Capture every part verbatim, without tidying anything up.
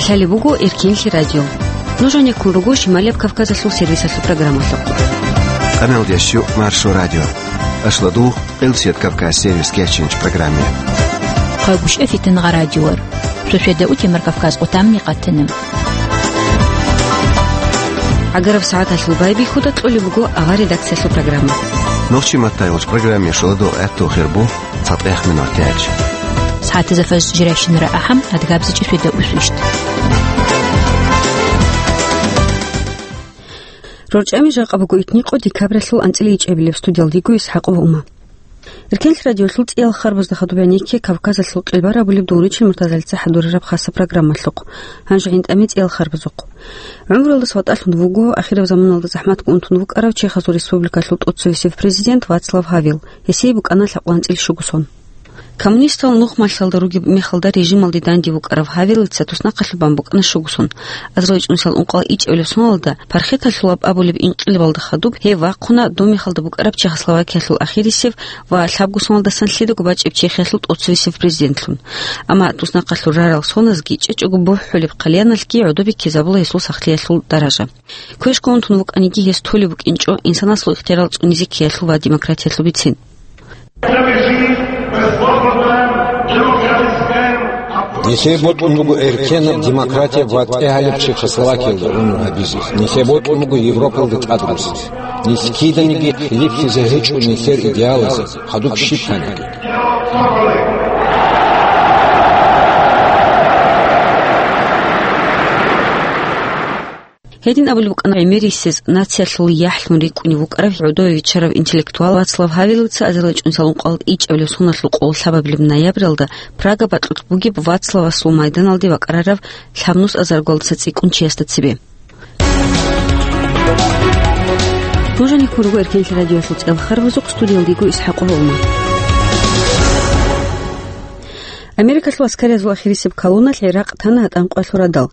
Лъалеб буго Эркенлъи радио. Нуж гьанеккун руго Шималияб Кавказалъул сервисалъул программалъухъ. Къамелдеш Маршо радио. Ашладу, Къилсият Кавказ сервис кечинч программе. Хъагушев Фитнагъа радиор. Суседа утемар Кавказ къутамни къатана. ГӀагараб сагӀаталъул байбихьуда кьолеб буго авар редакциялъул программа. Нохчи маттайгъуч программе шуладу гӀатту хирбу. ЦатӀех минутач. СагӀатазда фаз жирайщинара ахӀам, адгабзичӀи светда усвищт. РорчӀами жакъа буго итникъо декабралъул анцӀила ичӀабилеб, студиялдиго Исхакъова Ума. Эркенлъи радиолъул цӀиял харбазда хадуб гӀенекке Кавказалъул къилбар абулеб дугьричил муртазалица хӀадурараб хаса программалъухъ. Гьанже гӀинтӀаме цӀиял харбазухъ. ГӀумруялдаса ватӀалъун вуго, ахираб заманалда захӀматго унтун вукӀарав Чехасул республикалъул тӀоцевесев президент Вацлав Гьавел. Гьесие букӀана лъабкъоялда анцӀила щуго сон. Коммунистал нухмалъалда ругеб мехалда режималде данде вукӀарав Гьавелица туснахъалъуб бан букӀана щуго сон. Азарилчи унсал ункъоялда ичӀабилеб соналда, пархеталъулаб абулеб инкъилабалда хадуб гьев вахъуна доб мехалда букӀараб Чехословакиялъул ахирисеб ва лъабго соналдасан лъидаго бачӀеб Чехиялъул тӀоцевесев президентлъун. Амма туснахъалъур рарал соназги чӀечӀого бухӀулеб хъалияналъги гӀодобе ккезабула гьесул сахлъиялъул даража. Квешго унтун вукӀаниги, гьес толеб букӀинчӀо инсанасул ихтиярал цӀунизе ккеялъул ва демократиялъул бицин. Нилъее бокьун буго эркенаб, демократияб ва тӀегьалеб Чехословакиялда гӀумру гьабизе. Нилъее бокьун буго Европалда тӀадруссине. Нилъ киданиги хилиплъизе гьечӀо нилъер идеалазе, хадуб щиб гьаниги. Гьедин абулеб букӀана гӀемерисез, нациялъул яхӀлъун рикӀкӀунев вукӀарав гӀодове виччарав интеллектуал Вацлав Гьавелица азарилчи унсал ункъоялда ичӀабилеб соналъул къоло лъабабилеб ноябралда Прага бакьулъ бугеб Вацлавасул майданалде бакӀарараб лъабнус азаргоялдаса цӀикӀкӀун чиясда цебе. Нуж гьанеккун руго Эркенлъи радиоялъул цӀиял харбазухъ, студиялдиго Исхакъова Ума. Америкалъул аскариязул ахирисеб колонналъ ГӀиракъ тана гьатӀан къоялъул радал.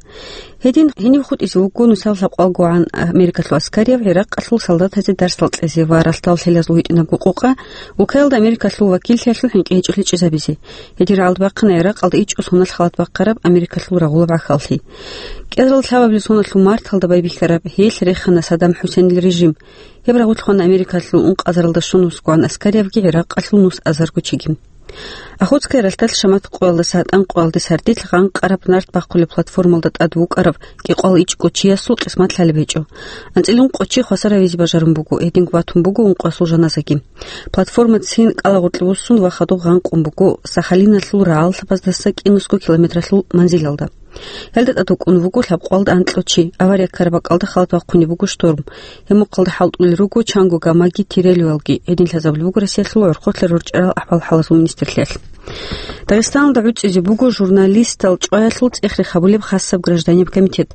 Гьедин гьенив хутӀизе вуго нусал лъабкъоялгогӀан Америкалъул аскарияб ГӀиракъалъул солдатазе дарсал кьезе ва ралъдал лъелазул гьитӀинабго къокъа улкаялда Америкалъул вакиллъиялъул хӀинкъи гьечӀолъи чӀезабизе. Гьедин рагӀалда бахъана ГӀиракъалда ичӀго соналъ халат бахъараб Америкалъул рагъулаб гӀахьаллъи. КӀиазарилан лъабабилеб соналъул марталда байбихьараб гьелъ рехана Саддам ХӀусейнил режим. Гьеб рагъулъ хвана Америкалъул ункъазаралда щун вуссгоан аскариябги ГӀиракъалъул нус азарго чиги. Охотская ралъдалъ Шамат къоялдаса гьатӀан къоялде сардилъ гъанкъараб нарт бахъулеб платформалда тӀад вукӀарав кӀикъоялда ичӀго чиясул къисмат лъалеб гьечӀо. АнцӀила ункъо чи хвасар гьавизе бажарун буго, гьединго батун буго ункъоясул жаназаги. Платформацин кӀалагъоркье вуссун ва хадуб гъанкъун буго Сахалиналъул рагӀаллъабаздаса кӀинусго километралъул манзилалда. Гьелда тӀад вукӀун вуго лъабкъоялда анкьго чи. Авария ккараб бакӀалда халат бахъунеб буго шторм. Гьеб мухъалда хӀалтӀулел руго чанго гамаги тирелювалги, гьедин лъазабулеб буго Россиялъул гӀурхъулъа рорчӀарал ахӀвал-хӀалалъул министрлъиялъ. Дагъистаналда гӀуцӀизе буго журналистал чӀваялъул цӀех-рех гьабулеб хасаб гражданиб комитет.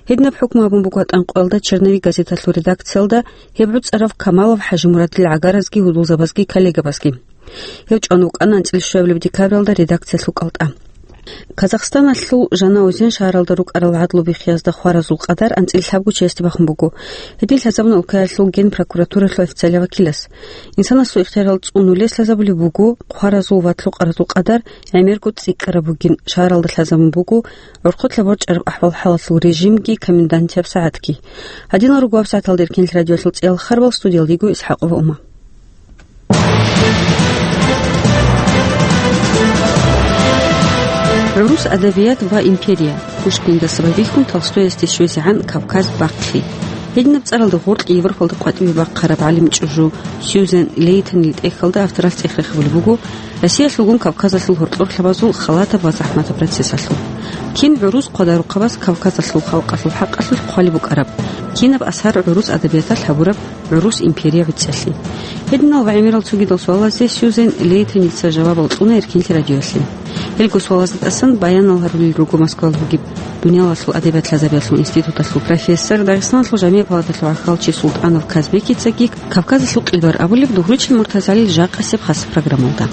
Гьединаб хӀукму гьабун буго гьатӀан къоялда «Черновик» газеталъул редакциялда гьеб гӀуцӀарав Камалов ХӀажимурадил гӀагаразги гьудулзабазги коллегабазги. Гьев чӀван вукӀана анцӀила щуабилеб декабралда редакциялъул кӀалтӀа. Казахстаналъул Жанаозен шагьаралда рукӀарал гӀадлу биххиязда хваразул къадар анцӀила лъабго чиясде бахун буго. Гьедин лъазабуна улкаялъул генпрокуратуралъул официалияв вакилас. Инсанасул ихтиярал цӀунулес лъазабулеб буго хваразул ва лъукъаразул къадар гӀемерго цӀикӀкӀараб бугин, шагьаралда лъазабун буго гӀурхъулъа борчӀараб ахӀвал-хӀалалъул режимги комендантияб сагӀатги. Гьадинал руго гьаб сагӀаталда Эркенлъи радиоялъул цӀиял харбал, студиялдиго Исхакъова Ума. «ГӀурус адабият ва империя». Пушкиндаса байбихьун Толстоясде щвезегӀан «Кавказ бахъи». Гьединаб цӀаралда гъоркье Европалда къватӀиве бахъараб гӀалим чӀужу Сьюзен Лейтонил тӀехьалда авторалъ цӀех-рех гьабулеб буго Россиялъулгун Кавказалъул гьоркьор лъабазул халатаб ва захӀматаб процессалъул. Кин гӀурус хъвадарухъабаз Кавказалъул халкъалъул хӀакъалъулъ хъвалеб букӀараб, кинаб асар гӀурус адабияталъ гьабураб гӀурус империя гӀуцӀиялъе? Гьединал ва гӀемерал цогидал суалазе Сьюзен Лейтоница жавабал кьуна Эркенлъи радиоялъе. Гьелго суалазда тӀасан баянал гьарулел руго Москваялъ бугеб Дуниялалъул адабият лъазабиялъул институталъул профессор, Дагъистаналъул жамигӀ палаталъул гӀахьалчи СултӀанов Казбекицаги. «Кавказалъул къилбар» абулеб дугьручил муртазалил жакъасеб хасаб программалда.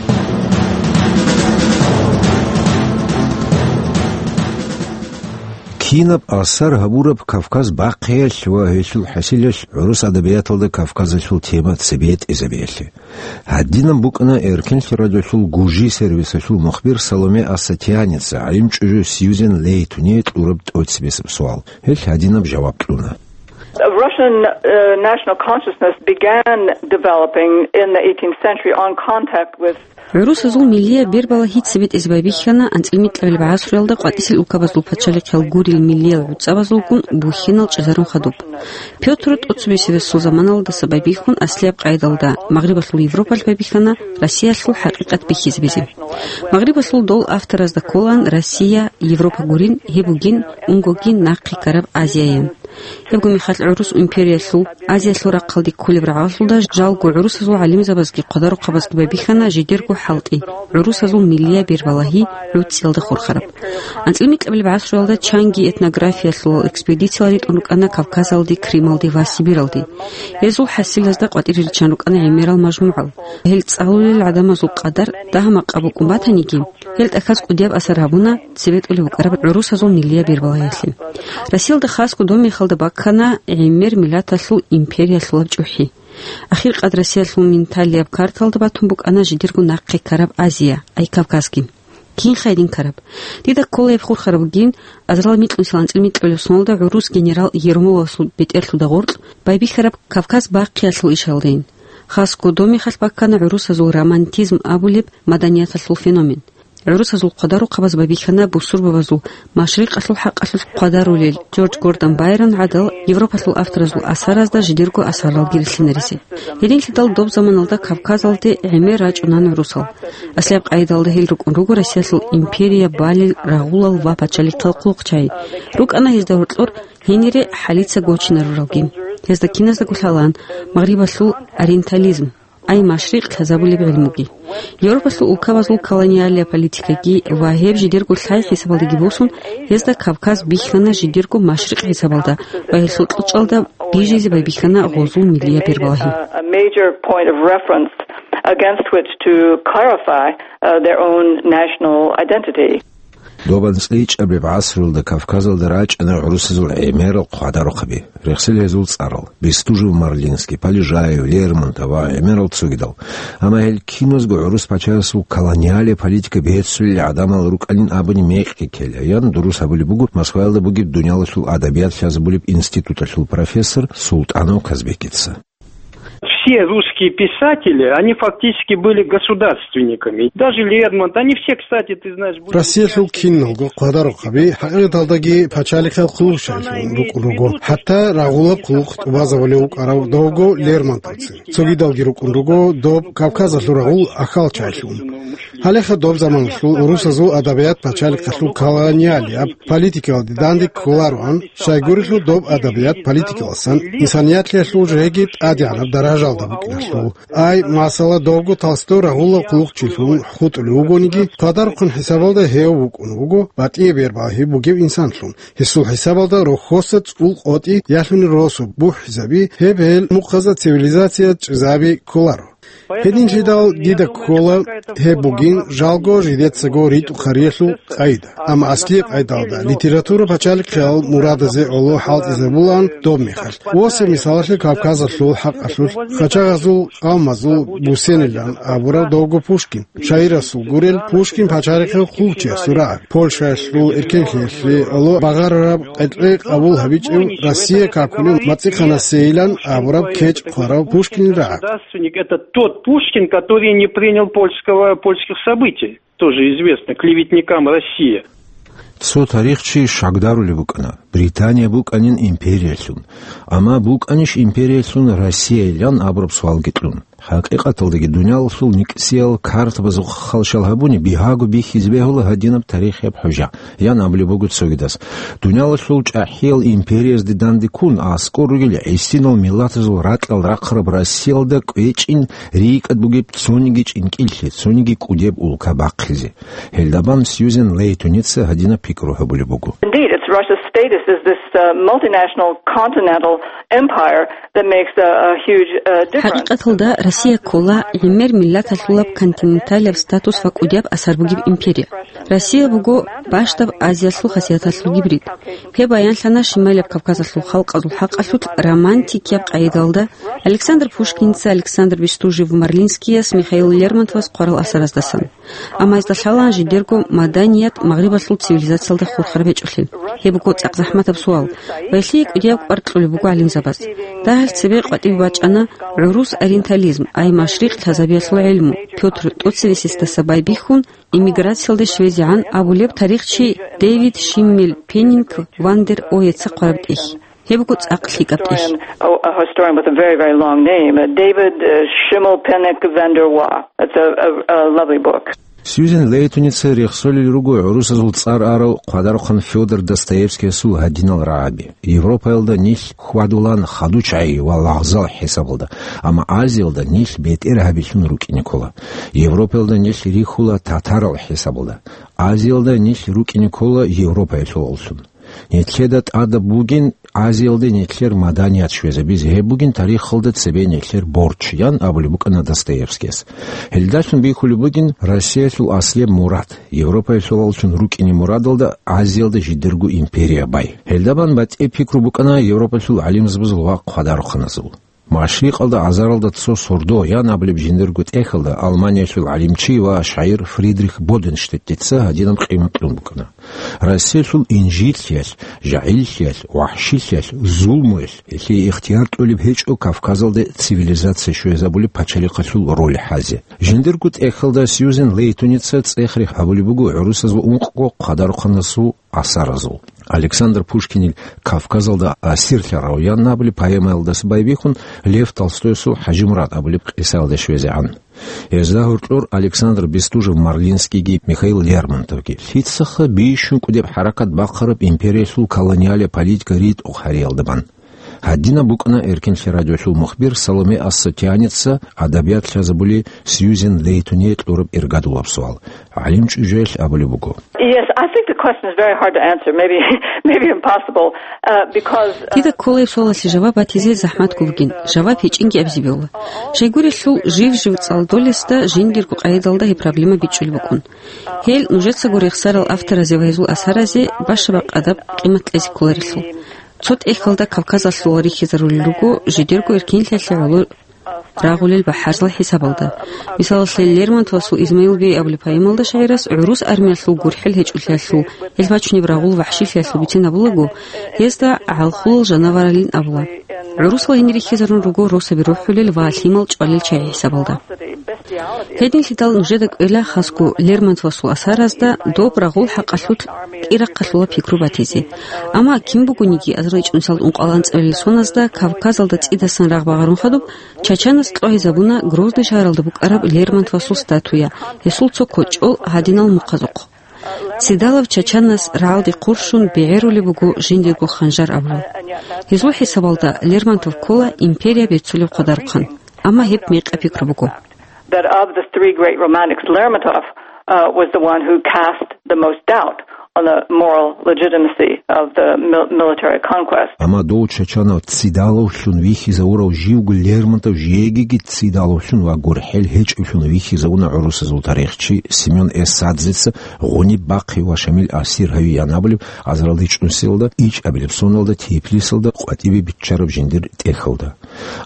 Кинаб асар гьабураб Кавказ бахъиялъ ва гьелъул хӀасилалъ гӀурус адабияталда Кавказалъул тема цебетӀезабиялъе? Гьадинаб букӀана Эркенлъи радиолъул гужи сервисалъул мухбир Саломе Асатианица гӀалимчӀужу Сьюзен Лейтуне кьураб тӀоцебесеб суал. Гьелъ гьадинаб жаваб кьуна. Russian, uh, national consciousness began developing in the eighteenth century on contact with. ГӀурусазул миллияб бербалагьи цебетӀезе байбихьана анцӀила микьабилеб гӀасруялда къватӀисел улкабазул пачалихъал гурел миллиял гӀуцӀабазулгун бухьинал чӀезарун хадуб. Пётр тӀоцебесебесул заманалдаса байбихьун аслияб къайдалда Магърибалъул Европалъ байбихьана Россиялъул хӀакъикъат бихьизабизе. Магърибалъул дол авторазда кколаан Россия, Европа гурин, гьеб бугин унгоги нахъе ккараб Азияян. Гьебго мехалъ гӀурус империялъул, Азиялъул рахъалде кколеб рагӀалъулда жалго гӀурусазул гӀалимзабазги хъвадарухъабазги байбихьана жидерго хӀалтӀи, гӀурусазул миллияб бербалагьи гӀуцӀиялда хурхараб. АнцӀила микьабилеб гӀасруялда чанги этнографиялъул экспедициял ритӀун рукӀана Кавказалде, Крымалде ва Сибиралде. Гьезул хӀасилазда къватӀире риччан рукӀана гӀемерал мажмугӀал. Гьел цӀалулел гӀадамазул къадар дагьа-макъа букӀун батаниги, гьел тӀахьаз кӀудияб асар гьабуна цебетӀулеб букӀараб гӀурусазул миллияб бербалагьиялъе. Россиялда хасго доб мехалда баккана гӀемер миллаталъул империялъулаб чӀухӀи. Ахиркъад Россиялъул менталияб карталда батун букӀана жидерго нахъе ккараб Азия, ай Кавказги. Кинха гьедин ккараб? Дида ккола гьеб хурхараб бугин, азарал микьнусилан анцӀила микьабилеб соналда гӀурус генерал Ермоловасул бетӀерлъуда гъоркь байбихьараб Кавказ бахъиялъул ишалдейин. Хасго доб мехалъ баккана гӀурусазул романтизм абулеб маданияталъул феномен. ГӀурусазул хъвадарухъабаз байбихьана бусурбабазул машрикъалъул хӀакъалъулъ хъвадарулел Джордж Гордон Байрон гӀадал Европалъул авторазул асаразда жидерго асарлъалги рилълъинаризе. Гьединлъидал доб заманалда Кавказалде гӀемер рачӀунан гӀурусал. Аслияб къайдалда гьел рукӀун руго Россиялъул империя балел рагъулал ва пачалихъал хъулухъчагӀи. РукӀана гьезда гьоркьор гьенире хӀалица гочинаруралги. Гьезда киназдаго лъалаан Магърибалъул ориентализм, ай машрикъ лъазабулеб гӀилмуги. Европалъул улкабазул колониалия политикаги ва гьеб жидерго лъай хӀисабалдаги босун, гьезда Кавказ бихьана жидерго машрикъ хӀисабалда ва гьелъул кьучӀалда бижизе байбихьана гъозул миллияб бербалагьи. A major point of reference against which to clarify, uh, their own national identity. Доб анцӀила ичӀабилеб гӀасруялда Кавказалда рачӀана гӀурусазул гӀемерал хъвадарухъаби, рехсел гьезул цӀарал: Бестужев-Марлинский, Полежаев, Лермонтов ва гӀемерал цогидал. Амма гьел киназго гӀурус пачаясул колониалия политика бецулел гӀадамал рукӀанин абуни мекъи ккела, ян дурус гьабулеб буго Москваялда бугеб дуниялалъул адабият лъазабулеб институталъул профессор Султанов Казбекица. Все русские писатели, они фактически были государственниками. Даже Лермонтов, они все, кстати, ты знаешь, были... Россиялъул киналго хъвадарухъаби хӀакъикъаталдаги пачалихъал хъулухъчагӀилъун рукӀун руго. ХӀатта рагъулаб хъулухъ тӀубазабулев вукӀарав довго Лермонтовцин. Цогидалги рукӀун руго доб Кавказалъул рагъул ахалчагӀилъун. Гьалеха доб заманалъул гӀурусазул адабият пачалихъалъул колониалияб политикалде данде кколароан, щайгурелъул доб адабият политикаласан инсанияталъул жеги тӀадегӀанаб даражалда букӀиналъул. Ай, масала, довго Толстой рагъулаб хъулухъчилъун хутӀулев вугониги, хъвадарухъан хӀисабалда гьев вукӀун вуго батӀияб бербалагьи бугев инсанлъун. Гьесул хӀисабалда рохьоса цӀул къотӀи ялъуни росу бухӀизаби, гьеб гьел мухъазда цивилизация чӀезаби кколаро. Гьединлъидал дида ккола, гьеб бугин жалго жидецаго ритӀухъариялъул къайда. Амма аслияб къайдалда литература пачалихъал мурадазе гӀоло хӀалтӀизабулаан доб мехалъ. Восеб мисалалъе Кавказалъул хӀакъалъулъ хъачагъазул къавмазул бусенилан абурав довго Пушкин. Шагьирасул гурел Пушкин пачалихъал хъулчиясул рагӀаби, Польшаялъул эркенлъиялъе гӀоло багъарараб къетӀе къабул гьабичӀев Россия какулев МацӀихъанасейилан абураб кечӀ хъварав Пушкинил рагӀаби. Государственник — это тот Пушкин, который не принял польского, польских событий. Тоже известно, клеветникам России. Цо тарихчи щакдарулеб букӀана, Британия букӀанин империялъун. Амма букӀанищ империялъун Россияйилан абураб суалги кьун? ХӀакъикъаталдаги, дуниялалъул никӀсиял картабазухъ халщал гьабуни, бигьаго бихьизе бегьула гьадинаб тарихияб хӀужа, ян абулеб буго цогидас. Дуниялалъул чӀахӀиял империязде данде ккун, аскӀор ругел гӀисинал миллатазул ракьал рахъараб Россиялда кӀвечӀин рикӀкӀад бугеб цониги чӀинкӀиллъи, цониги кӀудеб улка бахъизе. Гьелдабан Сьюзен Лейтуница гьадинаб пикру гьабулеб буго. Indeed, it's Russia's status Is this uh, multinational continental empire that makes a, a huge uh, difference. ХӀакъикъаталда Россия ккола гӀемер миллаталъулаб континенталияб статус ва кӀудияб асар бугеб империя. Россия буго бащдаб Азиялъул хасияталъул гибрид. Гьеб баянлъана Шималияб Кавказалъул халкъазул хӀакъалъулъ романтикияб къайдалда Александр Пушкинца, Александр Бестужев-Марлинскияс, Михаил Лермонтовас хъварал асараздасан. Амма гьезда лъалаан жидерго маданият магърибалъул цивилизациялда хурхараб гьечӀолъи. Гьеб буго цӀакъ захӀматаб суал. Ва гьелъие кӀудияб кӀвар кьолеб буго гӀалимзабаз. Дагьалъ цебе къватӀибе бачӀана гӀурус ориентализм, ай машрикъ лъазабиялъул гӀилму, Пётр Тоцевесисдаса байбихьун, эмиграциялде щвезегӀан абулеб тарихчи Дэвид Шиммель-Пеннинг ван дер Оеца хъвараб тӀехь. Гьеб буго цӀакъ лъикӀаб тӀехь. Historian, oh, a historian with a very, very long name, uh, David uh, Schimmelpenninck van der Waa. That's a, a, a lovely book. Сьюзен Лейтоница рехсолел руго гӀурусазул цӀар арав хъвадарухъан Фёдор Достоевскиясул гьадинал рагӀаби. Европаялда нилъ хьвадулан хадув чагӀи ва лагъзал хӀисабалда, амма Азиялда нилъ бетӀергьабилъун рукӀине ккола. Европаялда нилъ рихьула татарал хӀисабалда. Азиялда нилъ рукӀине ккола Европаялъулаллъун. Нилъеда тӀадаб бугин Азиялде нилъер маданият щвезабизе, гьеб бугин тарихалда цебе нилъер борч, ян абулеб букӀана Достоевскияс. Гьелдалъун бихьулеб бугин Россиялъул аслияб мурад, Европаялъулаллъун рукӀине мурадалда Азиялда жидерго империя бай. Гьелдабан батӀи пикру букӀана Европалъул гӀалимзабазул ва хъвадарухъаназул. Машрикъалда азаралда цо сордо ян абулеб жиндирго тӀехьалда Алманиялъул гӀалимчи ва шагӀир Фридрих Боденштеттица гьадинаб къимат кьун букӀана. Россиялъул инжитлъиялъ, жагьиллъиялъ, вахӀшилъиялъ, зулмуялъ, гьелъие ихтияр кьолеб гьечӀо Кавказалде цивилизация щвезабулеб пачалихъалъул роль хӀазе. Жиндирго тӀехьалда Сьюзен Лейтоница цӀех-рех гьабулеб буго гӀурусазул ункъго хъадарухъанасул асаразул. Александр Пушкинил «Кавказалда асирлъарав» ян абулеб поэмаялдаса байбихьун Лев Толстойсул «ХӀажимурад» абулеб къисаялде щвезегӀан. Гьезда гьоркьор Александр Бестужев-Марлинскийги Михаил Лермонтовги лъицаха бищун кӀудеб хӀаракат бахъараб империялъул колониалия политика ритӀухъ гьариялда бан. Гьадинаб букӀана Эркенлъи радиолъул мухбир Саломе Ассотианица адабият лъазабули Сьюзен Лейтоние кьураб иргадулаб суал. ГӀалим чӀужуялъ абулеб буго. Yes, I think the question is very hard to answer, maybe, maybe impossible, uh, because, uh, Дида кколеб суалалъе жаваб батизе захӀматго бугин, жаваб гьечӀинги абизе бегьула. Щайгурелъул жив-жив цӀалдолесда жиндирго къайдалда гьеб проблема бичӀчӀулеб букӀун. Гьел нужецаго рехсарал авторазе ва гьезул асаразе баща-бакъ адаб къимат кьезе кколарелъул. Цо тӀехьалда Кавказалъул рихьизарулел руго жидерго эркенлъиялъе гӀоло рагъулел бахӀарзал хӀисабалда. Мисалалъе, Лермонтовасул «Измаил бей» абулеб поэмалда шагӀирас гӀурус армиялъул гурхӀел гьечӀолъиялъул, гьел бачунеб рагъул вахӀшилъиялъул бицен абулаго, гьезда гӀалхулал жанаваралин абула. ГӀурусал гьенир рихьизарун руго росаби рухӀулел ва лъимал чӀвалел чагӀи хӀисабалда. Гьединлъидал нужеда кӀвела хасго Лермонтовасул асаразда доб рагъул хӀакъалъулъ кӀирахъалъула пикру батизе. Амма кин бугониги азарилчӀунсал ункъал анцӀабилел соназда Кавказалда цӀидасан рагъ багъарун хадуб, Чачанас кьогӀизабуна Грозный шагьаралда букӀараб Лермонтовасул статуя, гьесул цо кочӀол гьадинал мухъазухъ. Цидалав Чачанас рагӀалде хъурщун бегӀерулеб буго жиндирго ханжар абула. Гьезул хӀисабалда Лермонтов ккола империя беццулеб хъвадарухъан, амма гьеб мекъа пикру буго. That of the three great romantics, Lermontov uh, was the one who cast the most doubt on the moral legitimacy of the mil- military conquest. Амма дов Чачанав цидалавлъун вихьизавурав живго Лермонтов жегиги цидалавлъун ва гурхӀел гьечӀевлъун вихьизавуна гӀурусазул тарихчи Семён Эсадзеца гъуниб бахъи ва Шамил асир гьави янабулеб азаралда ичӀнусиялда ичӀабилеб соналда Тифлисалда къватӀибе биччараб жиндир тӀехьалда.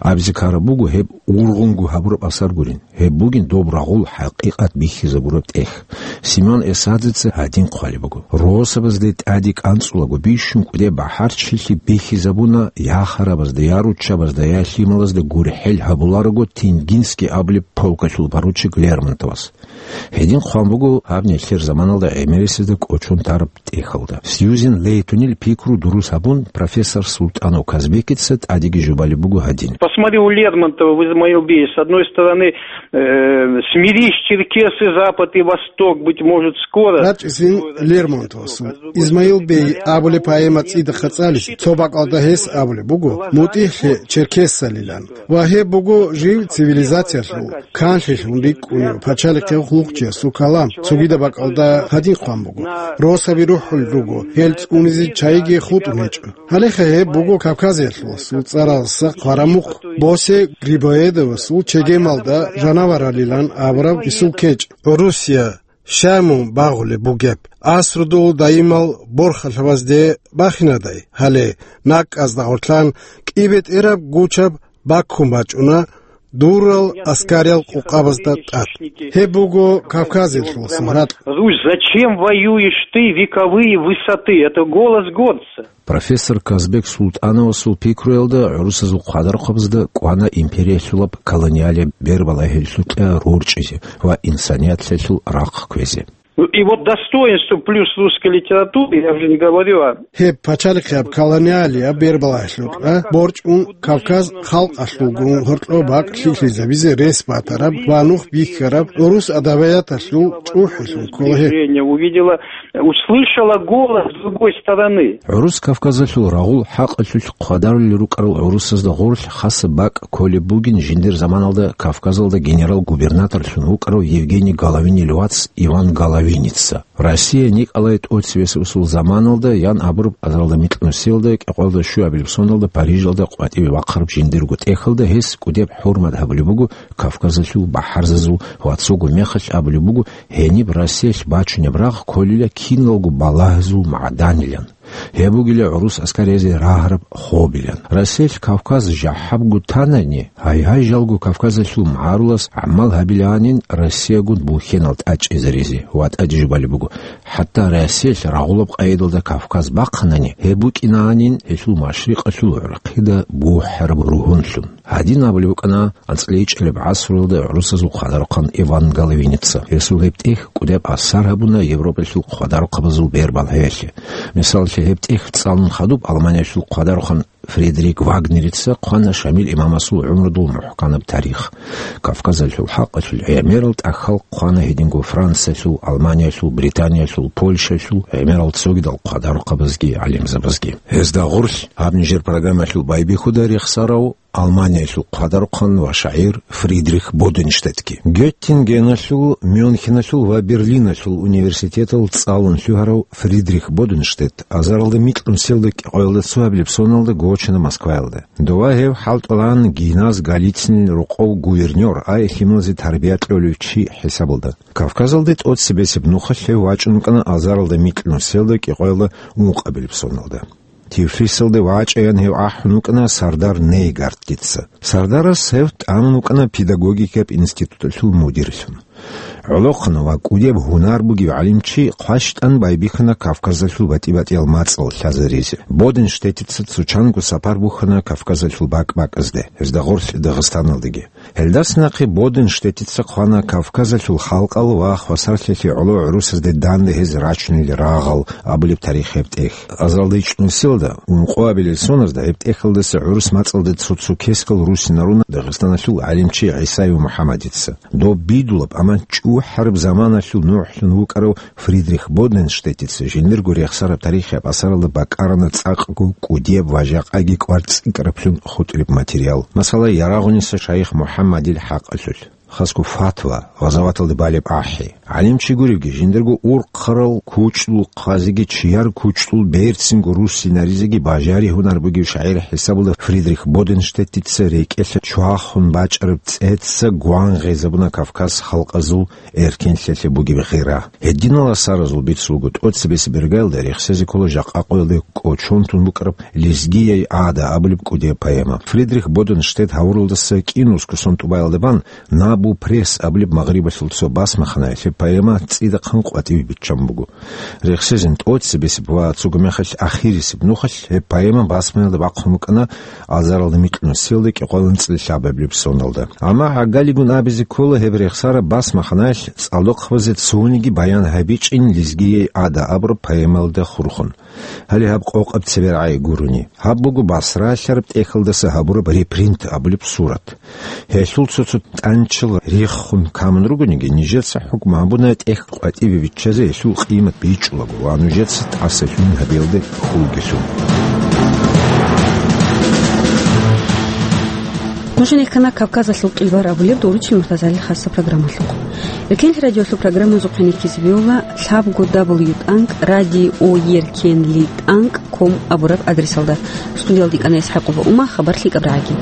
Абизе ккараб буго гьеб ургъунго гьабураб асар гурин. Гьеб бугин доб рагъул хӀакъикъат бихьизабураб тӀехь. Семён Эсадзеца гьадин хъвалеб буго. Росабазде тӀаде кӀанцӀулаго бищун кӀудеб бахӀарчилъи бихьизабуна я харабазда, я руччабазда, я лъималазда гурхӀел гьабуларого Тенгинский абулеб полкалъул поручик Лермонтовас. Гьедин хъван буго гьаб нилъер заманалда гӀемерисезда кӀочон тараб тӀехьалда. Сьюзен Лейтонил пикру дурус гьабун, профессор Султанов Казбекица тӀадеги жубалеб буго гьадин. Посмотри, у Лермонтова в «Измаил бее», с одной стороны, э, «Смирись, черкесы, запад и восток, быть может, скоро». РачӀисин Лермон. Измаил бей абулеб поэма цӀидахъа цӀализе, цо бакӀалда гьес абулеб буго, мутӀигӀлъи черкесалилан. Ва гьеб буго жив цивилизациялъул, канлъилъун рикӀкӀунев пачалихъе хъулухъчиясул калам, цогидаб бакӀалда гьадин хъван буго: «Росаби рухӀун руго, гьел цӀунизе чайиги хутӀун гьечӀо». Гьалеха гьеб буго Кавказиялъуласул цӀаралдаса хъвараб мухъ, Босе Грибоедовасул чегемалда жанаваралилан абураб исул кечӀ. Русия щай мун багъулеб бугеб? Асрудул даимал борхалъабазде бахинадай, гьале накӀкӀазда гъорлъан кӀибетӀераб гучаб баккун бачӀуна дурал аскариял къукъабазда тӀад. Гьеб буго Кавказиялъуласул ракь. Русь, зачем воюешь ты, вековые высоты? Это голос горца. Профессор Казбек Султановасул пикруялда гӀурусазул хъвадарухъабазда кӀвана империялъулаб колониалияб бербалайгьалъулъа рорчӀизе ва инсанияталъул рахъ кквезе. Ну, и вот достоинство плюс русской литературы, я уже не говорю о... Гьеб пачалихъияб колониалияб бербалайгьалъулъа борчӀун Кавказ халкъалъулгун гьоркьоб бакӀ лъикӀлъизабизе рес батараб ва нух бихьараб гӀурус адабияталъул чӀухӀилъун ккола гьеб. Движение увидела, услышала голос другой стороны. ГӀурус Кавказалъул рагъул хӀакъалъулъ хъвадарулел рукӀарал гӀурусазда гъорлъ хасаб бакӀ кколеб бугин жиндир заманалда Кавказалда генерал-губернаторлъун вукӀарав Евгений Головинил вац Иван Головиница. Россия Николай тӀоцебесеб усул заманалда, ян абураб азаралда микьнусиялда кӀикъоялда щуабилеб соналда Парижалда къватӀибе вахъараб жиндирго тӀехьалда гьес кӀудеб хӀурмат гьабулеб буго Кавказалъул бахӀарзазул ва цого мехалъ абулеб буго, гьениб Россиялъ бачунеб рагъ кколила киналго балагьазул магӀданилан. Гьеб бугила гӀурус аскариязде рагьараб хобилан. Россиялъ Кавказ жахӀабго танани, гьай-гьай жалго Кавказалъул магӀарулас гӀамал гьабилаанин Россиягун бухьенал тӀачӀизаризе ва тӀаде жубалеб буго, хӀатта Россиялъ рагъулаб къайдалда Кавказ бахъанани, гьеб букӀинаанин гьелъул машрикъалъул гӀурхъида бухӀараб ругьунлъун. Гьадин абулеб букӀана анцӀила ичӀабилеб гӀасруялда гӀурусазул хъвадарухъан Иван Головиница. Гьесул гьеб тӀехь кӀудеб асар гьабуна Европалъул хъвадарухъабазул бербалъиялъе. Мисалалъе, гьеб тӀехь цӀалун хадуб Алманиялъул хъвадарухъан Фридрих Вагнерица хъвана Шамил имамасул гӀумрудул мухӀканаб тарих. Кавказалъул хӀакъалъулъ гӀемерал тӀахьал хъвана гьединго Франциялъул, Алманиялъул, Британиялъул, Польшаялъул гӀемерал цогидал хъвадарухъабазги гӀалимзабазги. Гьезда гъорлъ гьаб нижер программаялъул байбихьуда рехсарав Алманиялъул хъвадарухъан ва шагӀир Фридрих Боденштеттги. Геттингеналъул, Мюнхеналъул ва Берлиналъул университетал цӀалун лъугьарав Фридрих Боденштетт азаралда микьнусиялда кӀикъоялда цоабилеб соналда гочана Москваялда. Дова гьев хӀалтӀулаан Гиназ Голицынил рокъов гувернёр, ай лъималазе тарбия кьолев чи хӀисабалда. Кавказалде тӀоцебесеб нухалъ гьев вачӀун вукӀана азаралда микьнусиялда кӀикъоялда ункъабилеб соналда. Тифлисалде вачӀаян гьев ахӀун вукӀана сардар Нейгартица. Сардарас гьев тӀамун вукӀана педагогикаб институталъул мудирлъун. ГӀолохъанав ва кӀудеб гьунар бугев гӀалимчи хъващтӀан байбихьана Кавказалъул батӀи-батӀиял мацӀал лъазаризе. Боденштеттица цо чанго сапар бухьана Кавказалъул бакӀ-бакӀазде, гьезда гъорлъ Дагъистаналдаги. Гьелдаса нахъе Боденштеттица хъвана Кавказалъул халкъал ва хвасарлъиялъе гӀоло гӀурусазде данде гьез рачунел рагъал абулеб тарихияб тӀехь. Азаралда ичӀнусиялда, ункъоабилел соналда гьеб тӀехьалдаса гӀурус мацӀалде цо-цо кескал руссинаруна Дагъистаналъул гӀалимчи ГӀисаев МухӀаммадица. Доб бидулаб, амма чӀухӀараб заманалъул нухлъун вукӀарав Фридрих Боденштеттица жиндирго рехсараб тарихияб асаралда бакӀарана цӀакъго кӀудияб ва жакъаги кӀварцӀикӀкӀараблъун хутӀараб материал, масала, Ярагъуниса шайих МухӀаммадил хӀакъалъулъ, хасго фатва, гъазаваталда балеб ахӀи. ГӀалимчи гуревги, жиндирго урхъарал кучӀдул хъвазеги чияр кучӀдул берцинго руссинаризеги бажари гьунар бугев шагӀир хӀисабалда Фридрих Боденштеттица рекӀелъа чвахун бачӀараб цӀеца гван гъезабуна Кавказ халкъазул эркенлъиялъе бугеб гъира. Гьединал асаразул бицунго тӀоцебесеб иргаялда рехсезе ккола жакъа къоялде кӀочон тун букӀараб Лезгияй гӀада абулеб кӀудияб поэма. Фридрих Боденштетт гьавуралдаса кӀинусго сон тӀубаялда бан «Набу пресс» абулеб Магърибалъул цо басмаханаялъе поэма цӀидахъан къватӀиве биччан буго. Рехсезин тӀоцебесеб ва цого мехалъ ахирисеб нухалъ гьеб поэма басмаялда бахъун букӀана азаралда микьнусиялда кӀикъоялда анцӀила лъабабилеб соналда. Амма гӀагалигун абизе ккола гьеб рехсараб басмаханаялъ цӀалдохъабазе цониги баян гьабичӀин «Лезгияй гӀада» абураб поэмалда хурхун. Гьале гьаб къокъаб цебе рагӀи гурони. Гьаб буго Басра лъараб тӀехьалдаса гьабураб репринт абулеб сурат. Гьелъул цо-цо тӀанча рехун камун ругониги, нижеца хӀукму гьабуна тӀехь къватӀибе биччазе гьелъул къимат бичӀчӀулаго ва нужеца тӀасалъугьин гьабиялде хьулгелъул. Нуж гьенеккана Кавказалъул къилбар абулеб дуручил муртазалил хасса программалъухъ. Эркенлъи радиолъул программазухъе нехизабиула лъабго дабл ю тӀанкӀ радио еркенли тӀанкӀ ком абураб адресалда. Студиялда икӀана ИсхӀакъова Ума, хабар лъикӀаб рагӀаги.